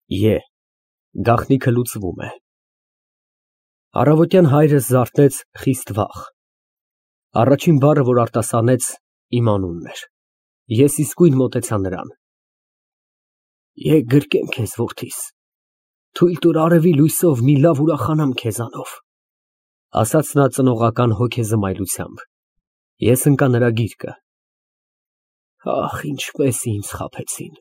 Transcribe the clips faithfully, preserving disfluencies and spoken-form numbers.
Է, գաղտնիքը լուծվում է։ Առավոտյան հայրս զարթնեց խիստ վաղ։ Առաջին բառը, որ արտասանեց, իմ անունն էր։ Ես իսկույն մոտեցա նրան։ Եկ գրկեմ քեզ, որդիս, թույլ տուր արևի լույսով մի լավ ուրախանամ քեզանով, ասաց նա ծնողական հոգեզմայլությամբ։ Ես ընկա նրա գիրկը։ Ախ, ինչպես ինձ խաբեցին,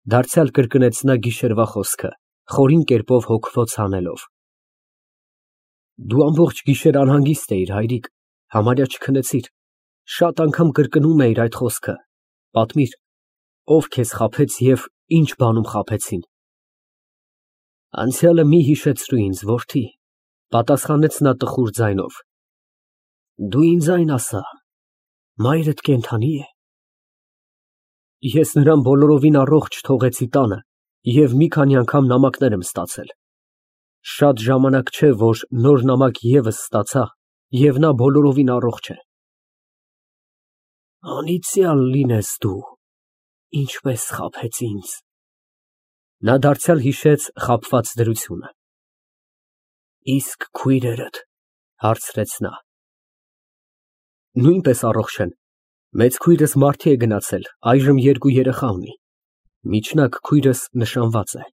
դարձյալ կրկնեց նա գիշերվա խոսքը, խորին կերպով հոգվոց հանելով։ Դու ամբողջ գիշեր անհանգիստ էիր, հայրիկ, համարյա չքնեցիր, շատ անգամ կրկնում էիր այդ խոսքը, պատմիր, ով քեզ խաբեց և ինչ բանում խաբեցին։ Անցյալը մի հիշեցրու ինձ, որդի, պատասխանեց նա տխուր ձայնով։ Դու ինձ այն ասա, մայրդ կենդանի է։ Ես նրան բոլորովին առողջ թողեցի տանը և մի քանի անգամ նամակներ եմ ստացել։ Շատ ժամանակ չէ, որ նոր նամակ ևս ստացա, և նա բոլորովին առողջ է։ Անիծյալ լինես դու, ինչպես խաբեց ինձ։ Նա դարձյալ հիշեց խաբված դրությունը։ Իսկ քույրերդ, հարցրեց նա։ Նույնպես առողջ են։ Մեծ քույրս մարդի է գնացել, այժմ երկու երեխա ունի։ Միջնակ քույրս նշանված է։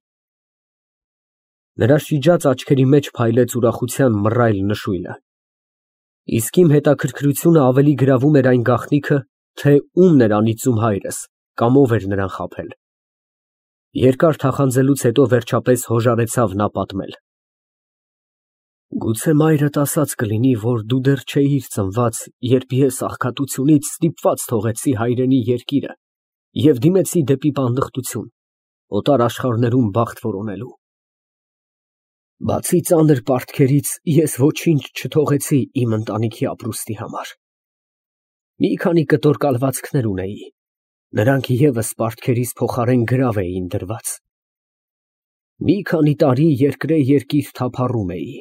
Նրա շիջած աչքերի մեջ փայլեց ուրախության մռայլ նշույլը։ Իսկ իմ հետաքրքրությունը ավելի գրավում էր այն գաղտնիքը, թե ումն էր անիծում հայրս, կամ ով էր նրան խաբել։ Երկար թախանձելուց հետո վերջապես հոժարեցավ նա պատմել։ Գուցե մայրդ ասած կլինի, որ դու դեռ չէիր ծնված, երբ ես աղքատությունից ստիպված թողեցի հայրենի երկիրը և դիմեցի դեպի պանդխտություն, օտար աշխարհներում բախտ որոնելու։ Բացի ծանր պարտքերից, ես ոչինչ չթողեցի իմ ընտանիքի ապրուստի համար։ Մի քանի կտոր կալվածքներ ունեի, նրանք ևս պարտքերիս փոխարեն գրավ էին դրված։ Մի քանի տարի երկրե երկիր թափառում էի,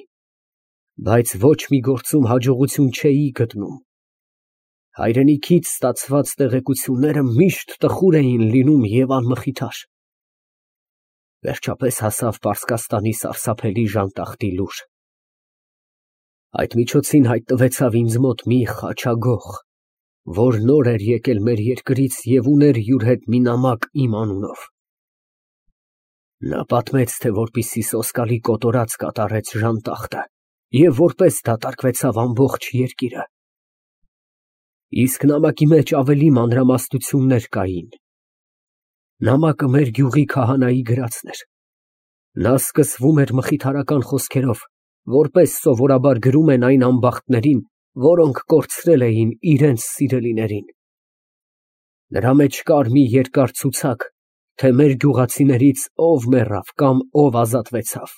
բայց ոչ մի գործում հաջողություն չէի գտնում։ Հայրենիքից ստացված տեղեկությունները միշտ տխուր էին լինում և անմխիթար։ Վերջապես հասավ Պարսկաստանի սարսափելի ժանտախտի լուր։ Այդ միջոցին հայտնվեցավ ինձ մոտ մի խաչագող, որ նոր էր եկել մեր երկրից և ուներ յուր հետ մի նամակ իմ անունով։ Նա պատմեց, թե որպեսզի սոսկալի կոտորած կատարեց ժանտախտը և որպես դատարկվեցավ ամբողջ երկիրը։ Իսկ նամակի մեջ ավելի մանրամասնություններ կային։ Նամակը մեր գյուղի քահանայի գրածն էր։ Նա սկսվում էր մխիթարական խոսքերով, որպես սովորաբար գրում են այն ամբախտներին, որոնք կորցրել էին իրենց սիրելիներին։ Նրա մեջ կար մի երկար ցուցակ, թե մեր գյուղացիներից ով մեռավ կամ ով ազատվեցավ։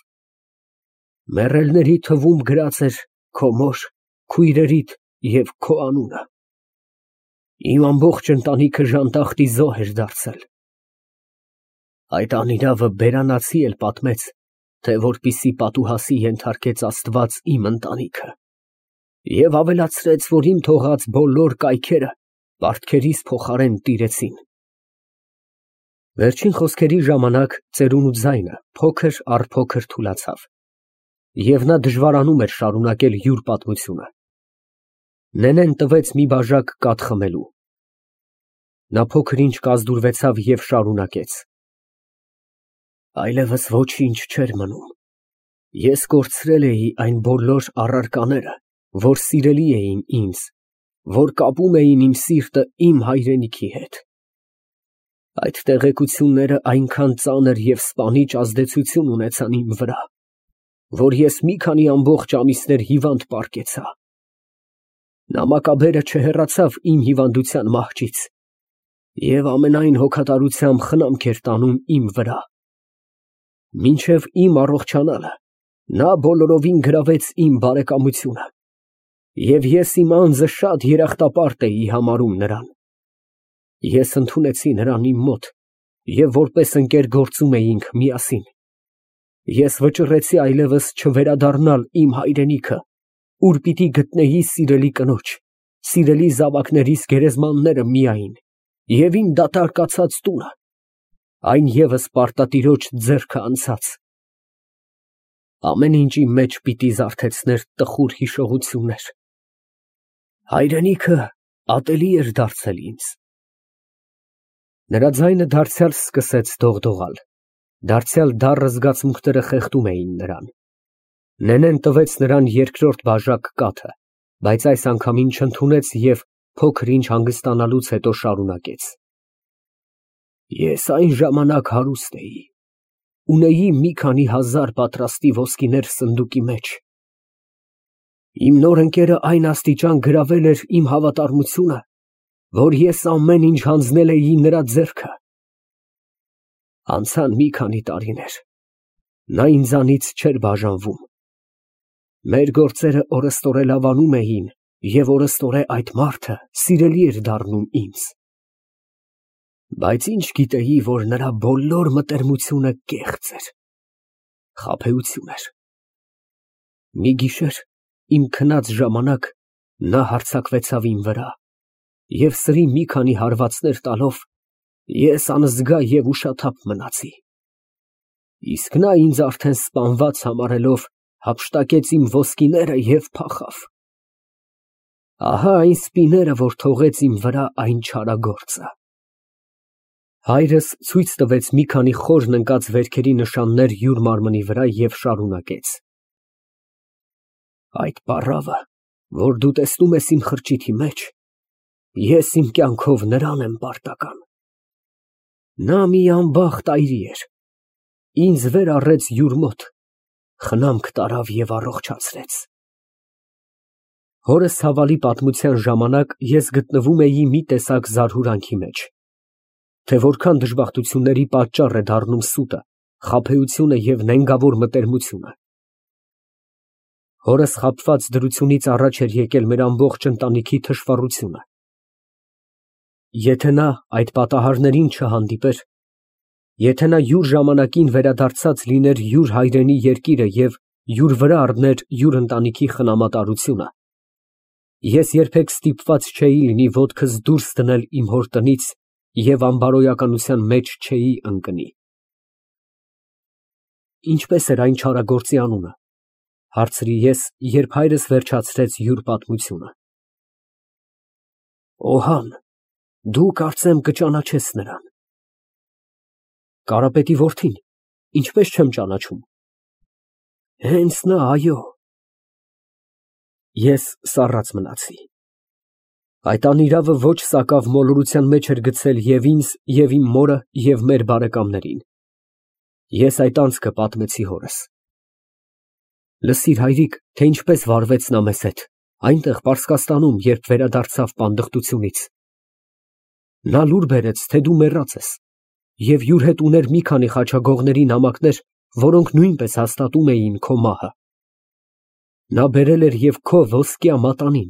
Մեռելների թվում գրած էր քո մոր, քույրերիդ և քո անունը։ Իմ ամբողջ ընտանիքը ժանտախտի զոհ էր դարձել։ Այդ անիրավը բերանացի էլ պատմեց, թե որպեսզի պատուհասի ենթարկեց Աստված իմ ընտանիքը և ավելացրեց, որ իմ թողած բոլոր կայքերը պարտքերիս փոխարեն տիրեցին։ Վերջին խոսքերի ժամանակ ծերունու ձայնը փոքր առ փոքր թուլացավ, և նա դժվարանում էր շարունակել յուր պատմությունը։ Նենեն տվեց մի բաժակ կաթ խմելու։ Նա փոքր ինչ կազդուրվեցավ և շարունակեց. Այլևս ոչինչ չէր մնում։ Ես կորցրել էի այն բոլոր առարկաները, որ սիրելի էին ինձ, որ կապում էին իմ սիրտը իմ հայրենիքի հետ։ Այդ տեղեկությունները այնքան ծանր և սպանիչ ազդեցություն ունեցան իմ վրա, որ ես մի քանի ամբողջ ամիսներ հիվանդ պառկեցա։ Նամակաբերը չհեռացավ իմ հիվանդության մահճից և ամենայն հոգատարությամբ խնամք էր տանում իմ վրա։ Մինչև իմ առողջանալը նա բոլորովին գրավեց իմ բարեկամությունը, և ես իմ անձը շատ երախտապարտ էի համարում նրան։ Ես ընդունեցի նրան իմ մոտ և որպես ընկեր գործում էինք միասին։ Ես վճռեցի այլևս չվերադառնալ իմ հայրենիքը, ուր պիտի գտնեի սիրելի կնոջ, սիրելի զավակներիս գերեզմանները միայն և իմ դատարկացած տունը։ այն ևս պարտատիրոջ ձեռքը անցած։ Ամեն ինչ իմ մեջ պիտի զարթեցներ տխուր հիշողություններ։ Հայրենիքը ատելի էր դարձել ինձ։ Նրա ձայնը դարձյալ սկսեց դողդողալ, դարձյալ դառը զգացմունքները խեղդում էին նրան։ Նենեն տվեց նրան երկրորդ բաժակ կաթը, բայց այս անգամին չընդունեց և փոքր ինչ հանգստանալուց հետո շարունակեց. Ես այն ժամանակ հարուստ էի, ունեի մի քանի հազար պատրաստի ոսկիներ սնդուկի մեջ։ Իմ նոր ընկերը այն աստիճան գրավել էր իմ հավատարմությունը, որ ես ամեն ինչ հանձնել էի նրա ձեռքը։ Անցան մի քանի տարիներ, նա ինձանից չէր բաժանվում։ Մեր գործերը օրըստօրե լավանում էին, և օրըստօրե այդ մարդը սիրելի էր դառնում ինձ։ Բայց ինչ գիտեի, որ նրա բոլոր մտերմությունը կեղծ էր, խաբեություն էր։ Մի գիշեր, իմ քնած ժամանակ, նա հարձակվեցավ իմ վրա և սրի մի քանի հարվածներ տալով, ես անզգա և ուշաթափ մնացի։ Իսկ նա ինձ արդեն սպանված համարելով, հափշտակեց իմ ոսկիները և փախավ։ Ահա այն սպիները, որ թողեց իմ վրա այն չարագործը։ Հայրս ցույց տվեց մի քանի խորն ընկած վերքերի նշաններ յուր մարմնի վրա և շարունակեց. Այդ պառավը, որ դու տեսնում ես իմ խրճիթի մեջ, ես իմ կյանքով նրան եմ պարտական։ Նա մի անբախտ այրի էր, ինձ վեր առեց յուր մոտ, խնամք տարավ և առողջացրեց։ Հորս ցավալի պատմության ժամանակ ես գտնվում էի մի տեսակ զարհուրանքի մեջ, թե որքան դժբախտությունների պատճառ է դառնում սուտը, խաբեությունը և նենգավոր մտերմությունը։ Հորս խաբված դրությունից առաջ էր եկել մեր ամբողջ ընտանիքի թշվառությունը։ Եթե նա այդ պատահարներին չհանդիպեր, եթե նա յուր ժամանակին վերադարձած լիներ յուր հայրենի երկիրը և յուր վրա առներ յուր ընտանիքի խնամատարությունը, ես երբեք ստիպված չէի լինի ոտքս դուրս դնել իմ հոր տնից և անբարոյականության մեջ չէի ընկնի։ Ինչպե՞ս էր այն չարագործի անունը, ֊ հարցրի ես, երբ հայրս վերջացրեց յուր պատմությունը։ Օհան, դու կարծեմ կճանաչես նրան։ Կարապետի որդի՞ն, ինչպես չեմ ճանաչում։ Հենց նա, այո։ Ես սառած մնացի։ Այդ անիրավը ոչ սակավ մոլորության մեջ էր գցել և ինձ, և իմ մորը, և մեր բարեկամներին։ Ես այդ անցքը պատմեցի հորս։ Լսիր, հայրիկ, թե ինչպես վարվեց նա մեզ հետ, այնտեղ Պարսկաստանում, երբ վերադարձավ պանդխտությունից։ Նա լուր բերեց, թե դու մեռած ես, և յուր հետ ուներ մի քանի խաչագողների նամակներ, որոնք նույնպես հաստատում էին քո մահը։ Նա բերել էր և քո ոսկյա մատանին,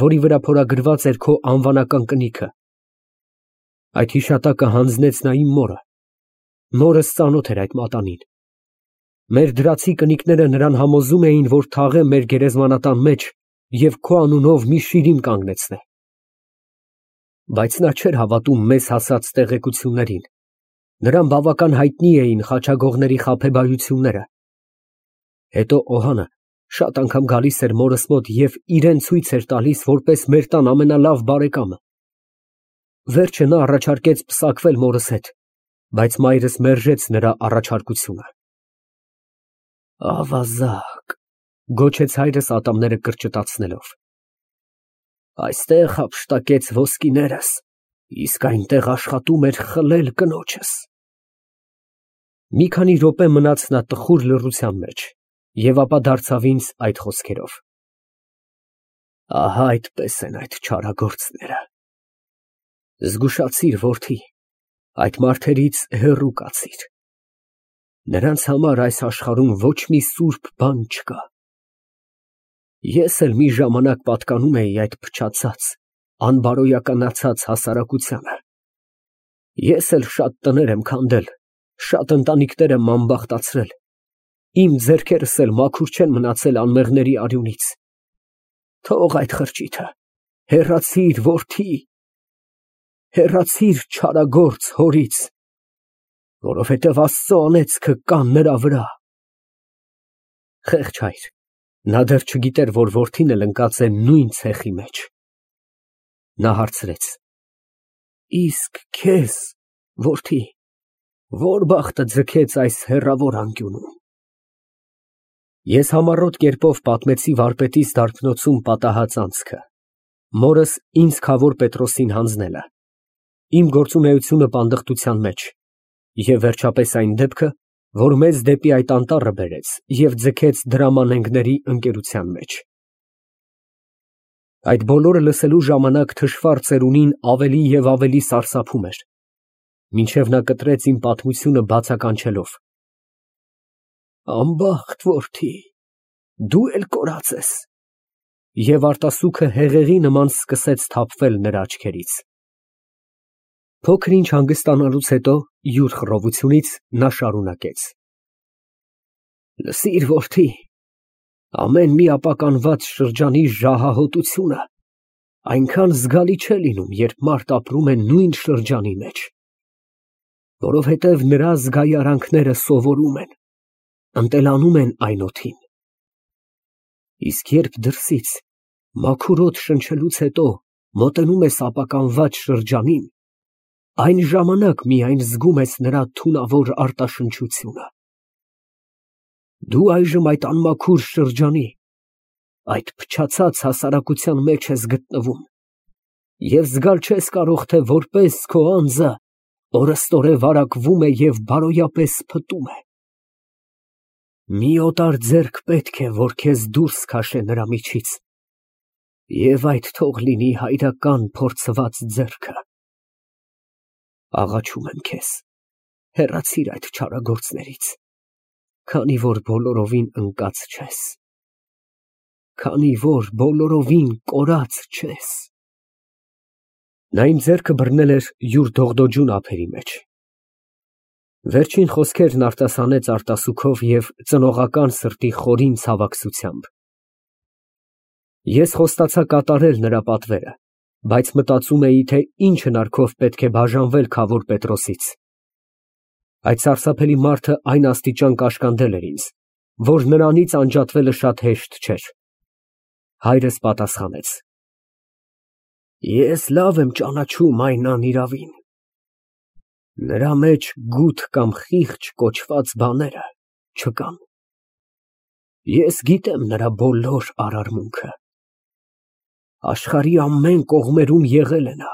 որի վրա փորագրված էր քո անվանական կնիքը։ Այդ հիշատակը հանձնեց նա իմ մորը։ Մորս ծանոթ էր այդ մատանին։ Մեր դրացի կնիկները նրան համոզում էին, որ թաղե մեր գերեզմանատան մեջ և քո անունով մի շիրիմ կանգնեցնե։ Բայց նա չէր հավատում մեզ հասած տեղեկություններին, նրան բավական հայտնի էին խաչագողների խաբեբայությունները։ Հետո Օհանը շատ անգամ գալիս էր մորս մոտ և իրան ցույց էր տալիս որպես մեր տան ամենալավ բարեկամը։ Վերջը նա առաջարկեց պսակվել մորս հետ, բայց մայրս մերժեց նրա առաջարկությունը։ Ավազակ, գոչեց հայրս ատամները կրճտացնելով, այստեղ հափշտակեց ոսկիներս, իսկ այնտեղ աշխատում էր խլել կնոջս։ Մի քանի րոպե մնաց նա տխուր լռության մեջ և ապա դարձավ ինձ այդ խոսքերով. Ահա այդպես են այդ չարագործները։ Զգուշացիր, որդի, այդ մարդերից հեռու կացիր։ Նրանց համար այս աշխարհում ոչ մի սուրբ բան չկա։ Ես էլ մի ժամանակ պատկանում էի այդ փչացած, անբարոյականացած հասարակությանը։ Ես էլ շատ տներ եմ քանդել, շատ ընտանիքներ եմ անբախտացրել, իմ ձեռքերս էլ մաքուր չեն մնացել անմեղների արյունից։ Թող այդ խրճիթը, հեռացիր, որդի, հեռացիր չարագործ հորից։ Որովհետև Աստծո անեծքը կա նրա վրա։ Խեղճ հայր, նա դեռ չգիտեր, որ որդին էլ ընկած է նույն ցեխի մեջ։ Նա հարցրեց. Իսկ քեզ, որդի, ո՞ր բախտը ձգեց այս հեռավոր անկյունում։ Ես համառոտ կերպով պատմեցի վարպետիս դարբնոցում պատահած անցքը, մորս ինձ Քավոր Պետրոսին հանձնելը, իմ գործունեությունը պանդխտության մեջ և վերջապես այն դեպքը, որ մեզ դեպի այդ անտառը բերեց և ձգեց դրամանենգների ընկերության մեջ։ Այդ բոլորը լսելու ժամանակ թշվառ ծերունին ավելի և ավելի սարսափում էր, մինչև նա կտրեց իմ պատմությունը բացականչելով. Անբախտ որդի, դու էլ կորած ես։ Եվ արտասուքը հեղեղի նման սկսեց թափվել նրա աչքերից։ Փոքր ինչ հանգստանալուց հետո, յուր խռովությունից, նա շարունակեց. Լսիր, որդի, ամեն մի ապականված շրջանի ժահահոտությունը այնքան զգալի չէ լինում, երբ մարդ ապրում է նույն շրջանի մեջ, որովհետև նրա զգայարանքները սովորում են, ընտելանում են այն օդին։ Իսկ երբ դրսից մաքուր օդ շնչելուց հետո մոտենում ես ապականված շրջանին, այն ժամանակ միայն զգում ես նրա թունավոր արտաշնչությունը։ Դու այժմ այդ անմաքուր շրջանի, այդ փչացած հասարակության մեջ ես գտնվում և զգալ չես կարող, թե որպես քո անձը օրըստօրե վարակվում է և բարոյապես փտում է։ Մի օտար ձեռք պետք է, որ քեզ դուրս քաշե նրա միջից, և այդ թող լինի հայրական փորձված ձեռքը։ Աղաչում եմ քեզ, հեռացիր այդ չարագործներից, քանի որ բոլորովին ընկած չես, քանի որ բոլորովին կորած չես։ Նա իմ ձեռքը բռնել էր յուր դողդոջուն ափերի մեջ։ Վերջին խոսքերն արտասանեց արտասուքով և ծնողական սրտի խորին ցավակցությամբ։ Ես խոստացա կատարել նրա պատվերը, բայց մտածում էի, թե ինչ հնարքով պետք է բաժանվել Քավոր Պետրոսից։ Այդ սարսափելի մարդը այն աստիճան կաշկանդել էր ինձ, որ նրանից անջատվելը շատ հեշտ չէր։ Հայրս պատասխանեց. Ես լավ եմ ճանաչում այն անիրավին։ Նրա մեջ գութ կամ խիղճ կոչված բաները չկան։ Ես գիտեմ նրա բոլոր արարմունքը։ Աշխարհի ամեն կողմերում եղել է նա,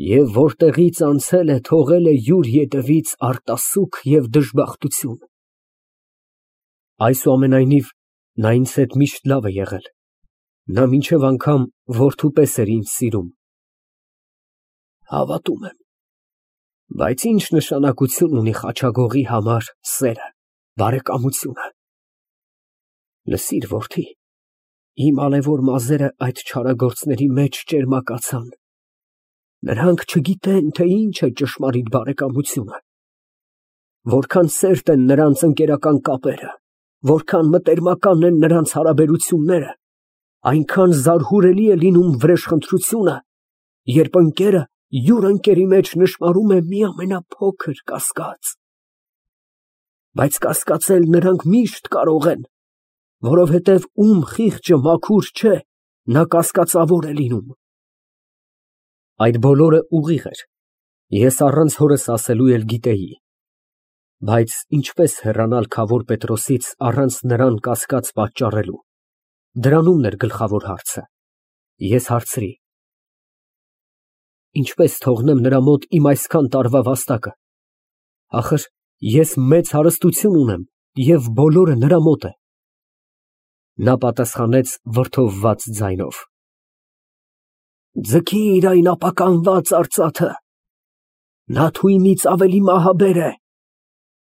և որտեղից անցել է, թողել է յուր ետևից արտասուք և դժբախտություն։ Այսուամենայնիվ, նա ինձ հետ միշտ լավ է եղել, նա մինչև անգամ որդու պես էր ինձ սիրում։ Հավատում եմ, բայց ի՞նչ նշանակություն ունի խաչագողի համար սերը, բարեկամությունը։ Լսիր, որդի, իմ ալեվոր մազերը այդ չարագործների մեջ ճերմակացան։ Նրանք չգիտեն, թե ինչ է ճշմարիտ բարեկամությունը, որքան սերտ են նրանց ընկերական կապերը, որքան մտերմական են նրանց հարաբերությունները, այնքան զարհուրելի է լինում վրեժխնդրությունը, երբ ընկերը յուր ընկերի մեջ նշմարում է մի ամենափոքր կասկած։ Բայց կասկածել նրանք միշտ կարող են, որովհետև ում խիղճը մաքուր չէ, նա կասկածավոր է լինում։ Այդ բոլորը ուղիղ էր, ես առանց հորս ասելու էլ գիտեի, բայց ինչպես հեռանալ Քավոր Պետրոսից առանց նրան կասկած պատճառելու, դրանումն էր գլխավոր հարցը։ Ես հարցրի. Ինչպես թողնեմ նրա մոտ իմ այսքան տարվա վաստակը, ախր ես մեծ հարստություն ունեմ և բոլորը նրա մոտ է։ Նա պատասխանեց վրդովված ձայնով. Ձգիր այն ապականված արծաթը, նա թույնից ավելի մահաբեր է։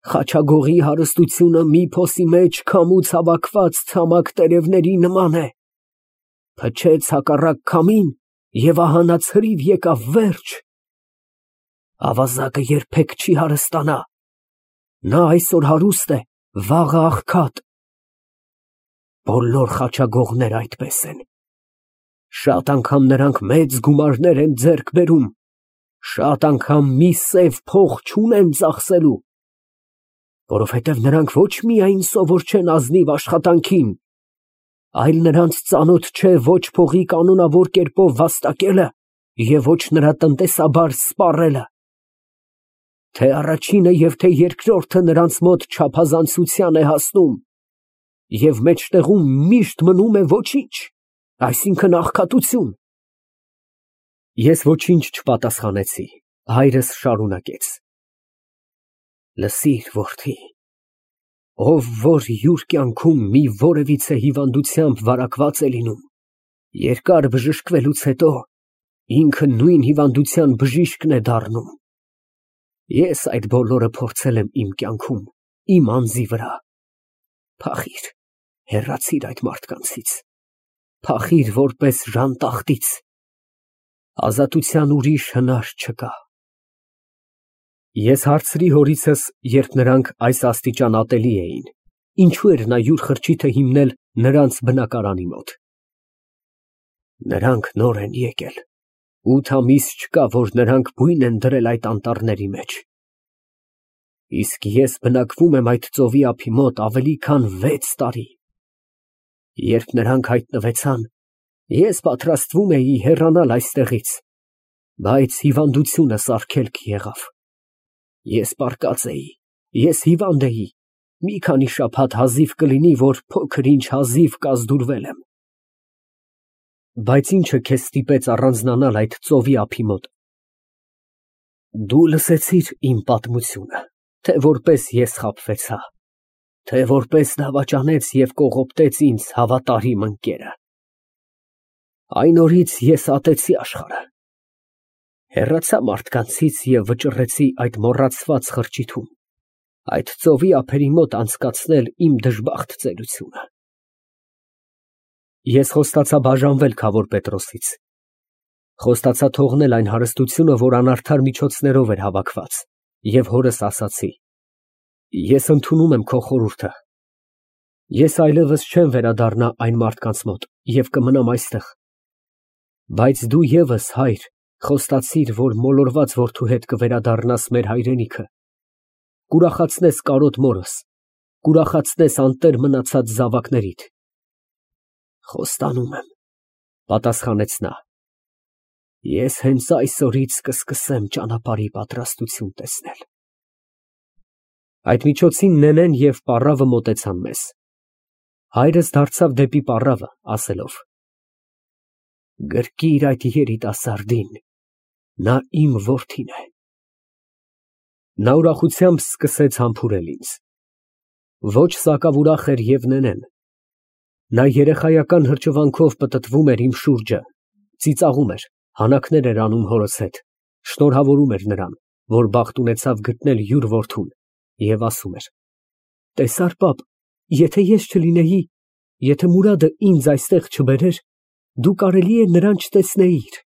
Խաչագողի հարստությունը մի փոսի մեջ քամուց հավաքված ցամաք տերևների նման է։ Փչեց հակառակ քամին, և ահա նա ցրիվ եկավ վերջ։ Ավազակը երբեք չի հարստանա, նա այսօր հարուստ է, վաղը աղքատ։ Բոլոր խաչագողները այդպես են։ Շատ անգամ նրանք մեծ գումարներ են ձեռք բերում, Շատ անգամ մի սև փող չունեմ ծախսելու, որովհետև նրանք ոչ միայն սովոր չեն ազնիվ աշխատանքին, այլ նրանց ծանոթ չէ ոչ փողի կանոնավոր կերպով վաստակելը և ոչ նրա տնտեսաբար սպառելը, թե առաջինը և թե երկրորդը նրանց մոտ չափազանցության է հասնում և մեջտեղում միշտ մնում է ոչինչ, այսինքն աղքատություն։ Ես ոչինչ չպատասխանեցի, հայրս շարունակեց. Լսիր, որդի, ով որ յուր կյանքում մի որևիցե հիվանդությամբ վարակված է լինում, երկար բժշկվելուց հետո ինքը նույն հիվանդության բժիշկն է դառնում։ Ես այդ բոլորը փորձել եմ իմ կյանքում, իմ անձի վրա։ Փախիր, հեռացիր այդ մարդկանցից, փախիր որպես ժանտախտից, ազատության ուրիշ հնար չկա։ Ես հարցրի հորիցս, երբ նրանք այս աստիճան ատելի էին, ինչու էր նա յուր խրճիթը հիմնել նրանց բնակարանի մոտ։ Նրանք նոր են եկել, ութ ամիս չկա, որ նրանք բույն են դրել այդ անտառների մեջ, իսկ ես բնակվում եմ այդ ծովի ափի մոտ ավելի քան վեց տարի։ Երբ նրանք հայտնվեցան, ես պատրաստվում էի հեռանալ այստեղից, բայց հիվանդությունը սարքելք եղավ։ Ես պառկած էի, ես հիվանդ էի, մի քանի շաբաթ հազիվ կլինի, որ փոքր-ինչ հազիվ կազդուրվել եմ։ Բայց ի՞նչը քեզ ստիպեց առանձնանալ այդ ծովի ափի մոտ։ Դու լսեցիր իմ պատմությունը, թե որպես ես խաբվեցա, թե որպես դավաճանեց և կողոպտեց ինձ հավատարիմ ընկերը։ Այն օրից ես ատեցի աշխարհը, հեռացա մարդկանցից և վճռեցի այդ մոռացված խրճիթում, այդ ծովի ափերի մոտ անցկացնել իմ դժբախտ ծերությունը։ Ես խոստացա բաժանվել Քավոր Պետրոսից, խոստացա թողնել այն հարստությունը, որ անարդար միջոցներով էր հավաքված, և հորս ասացի. ես ընդունում եմ քո խորհուրդը, ես այլևս չեմ վերադառնա այն մարդկանց մոտ և կմնամ այստեղ, բայց դու ևս, հայր, խոստացիր, որ մոլորված որդու հետ կվերադառնաս մեր հայրենիքը, կուրախացնես կարոտ մորս, կուրախացնես անտեր մնացած զավակներիդ։ Խոստանում եմ, պատասխանեց նա, ես հենց այսօրից կսկսեմ ճանապարհի պատրաստություն տեսնել։ Այդ միջոցին Նենեն և պառավը մոտեցան մեզ։ Հայրս դարձավ դեպի պառավը, ասելով. Գրկիր այդ երիտասարդին, նա իմ որդին է։ Նա ուրախությամբ սկսեց համբուրել ինձ։ Ոչ սակավ ուրախ էր և Նենեն։ Նա երեխայական հրճվանքով պտտվում էր իմ շուրջը, ծիծաղում էր, հանաքներ էր անում հորս հետ, շնորհավորում էր նրան, որ բախտ ունեցավ գտնել յուր որդուն, և ասում էր. Տեսա՞ր, պապ, եթե ես չլինեի, եթե Մուրադը ինձ այստեղ չբերեր, դու կարելի է նրան չտեսնեիր։